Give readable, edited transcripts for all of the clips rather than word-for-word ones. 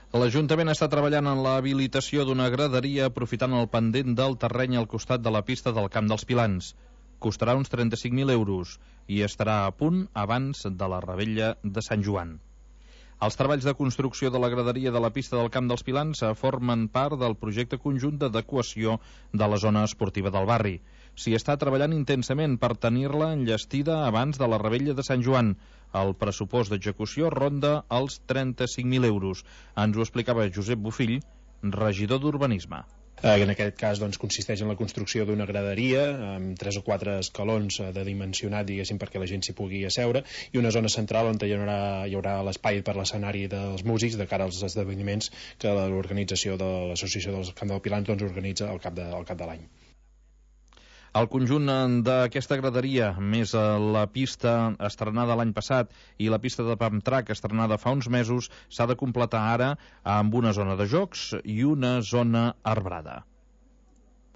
L'Ajuntament està treballant en l'habilitació d'una graderia aprofitant el pendent del terreny al costat de la pista del Camp dels Pilans. Costarà uns 35.000 euros i estarà a punt abans de la revetlla de Sant Joan. Els treballs de construcció de la graderia de la pista del Camp dels Pilans formen part del projecte conjunt d'adequació de la zona esportiva del barri. S'hi està treballant intensament per tenir-la enllestida abans de la revetlla de Sant Joan. El pressupost d'execució ronda els 35.000 euros. Ens ho explicava Josep Bofill, regidor d'Urbanisme. En aquest cas consisteix en la construcció d'una graderia amb 3 o 4 escalons de dimensionat, diguéssim, perquè la gent s'hi pugui asseure, i una zona central on hi haurà l'espai per l'escenari dels músics de cara als esdeveniments que l'organització de l'Associació del Camp dels Pilans organitza al cap de l'any. El conjunt d'aquesta graderia, més la pista estrenada l'any passat i la pista de pump track estrenada fa uns mesos, s'ha de completar ara amb una zona de jocs i una zona arbrada.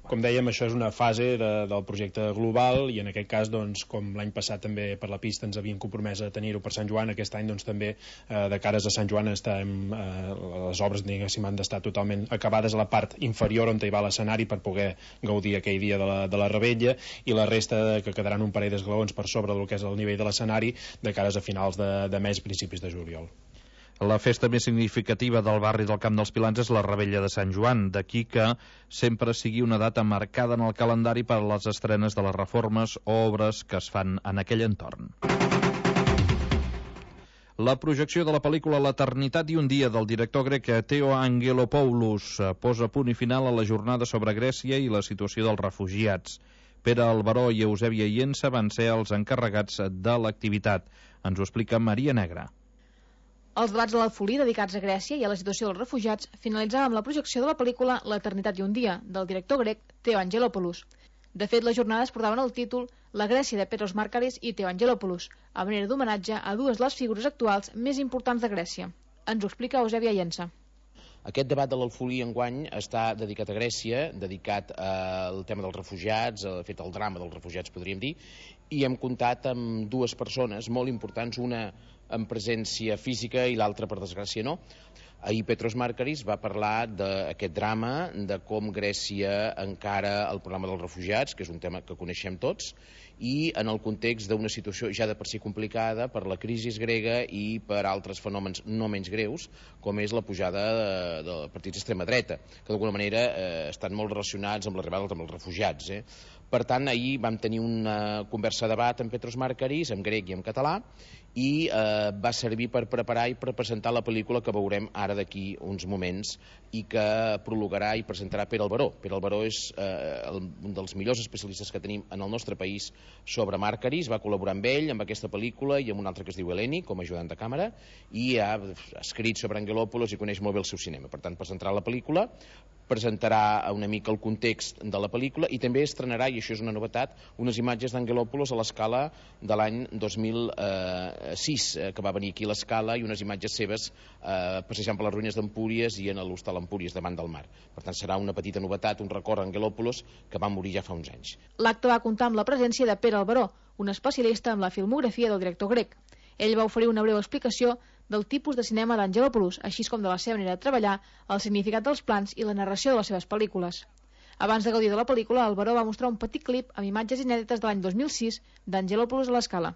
Com dèiem, això és una fase del projecte global i en aquest cas, com l'any passat també per la pista ens havíem compromès a tenir-ho per Sant Joan, aquest any també de cares a Sant Joan les obres han d'estar totalment acabades a la part inferior on hi va l'escenari per poder gaudir aquell dia de la revetlla, i la resta que quedaran un parell d'esglaons per sobre del que és el nivell de l'escenari de cares a finals de mes, principis de juliol. La festa més significativa del barri del Camp dels Pilans és la revetlla de Sant Joan, d'aquí que sempre sigui una data marcada en el calendari per a les estrenes de les reformes o obres que es fan en aquell entorn. La projecció de la pel·lícula L'Eternitat i un dia del director grec Theo Angelopoulos posa punt i final a la jornada sobre Grècia i la situació dels refugiats. Pere Alberó i Eusèbia Iensa van ser els encarregats de l'activitat. Ens ho explica Maria Negra. Els debats de l'Alfolí dedicats a Grècia i a la situació dels refugiats finalitzaven amb la projecció de la pel·lícula L'Eternitat i un dia, del director grec Theo Angelopoulos. De fet, les jornades portaven el títol La Grècia de Petros Markaris i Theo Angelopoulos, a manera d'homenatge a dues de les figures actuals més importants de Grècia. Ens ho explica Eusèbia Iensa. Aquest debat de l'Alfolí enguany està dedicat a Grècia, dedicat al tema dels refugiats, de fet al drama dels refugiats podríem dir, i hem comptat amb dues persones molt importants, una en presència física i l'altra, per desgràcia, no. Ahir Petros Markaris va parlar d'aquest drama, de com Grècia encara el problema dels refugiats, que és un tema que coneixem tots, i en el context d'una situació ja de per si complicada per la crisi grega i per altres fenòmens no menys greus, com és la pujada de partits d'extrema dreta, que d'alguna manera estan molt relacionats amb l'arribada dels refugiats. Per tant, ahir vam tenir una conversa de debat amb Petros Markaris, en grec i en català, i va servir per preparar i per presentar la pel·lícula que veurem ara d'aquí uns moments i que prologarà i presentarà Pere Alberó. Pere Alberó és un dels millors especialistes que tenim en el nostre país sobre Markaris, va col·laborar amb ell, amb aquesta pel·lícula i amb un altre que es diu Eleni, com a ajudant de càmera, i ha escrit sobre Angelopoulos i coneix molt bé el seu cinema. Per tant, presentarà la pel·lícula, presentarà una mica el context de la pel·lícula i també estrenarà, i això és una novetat, unes imatges d'Angelopoulos a l'Escala de l'any 2006, que va venir aquí a l'Escala, i unes imatges seves passejant per les ruïnes d'Empúries i en l'hostal Empúries davant del mar. Per tant, serà una petita novetat, un record a Angelopoulos que va morir ja fa uns anys. L'acte va comptar amb la presència de Pere Alberó, un especialista en la filmografia del director grec. Ell va oferir una breu explicació del tipus de cinema d'Angelopoulos, així com de la seva manera de treballar, el significat dels plans i la narració de les seves pel·lícules. Abans de gaudir de la pel·lícula, Alberó va mostrar un petit clip amb imatges inèdites de l'any 2006 d'Angelopoulos a l'Escala.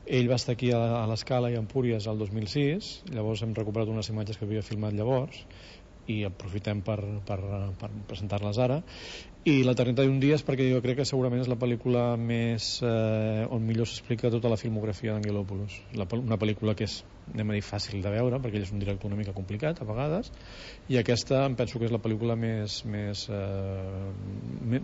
Ell va estar aquí a l'Escala i a Empúries el 2006, llavors hem recuperat unes imatges que havia filmat llavors i aprofitem per presentar-les ara. I L'Eternitat i un dia és perquè jo crec que segurament és la pel·lícula més on millor s'explica tota la filmografia d'Angelopoulos. Una pel·lícula que és, anem a dir, fàcil de veure perquè ell és un director una mica complicat a vegades, i aquesta em penso que és la pel·lícula més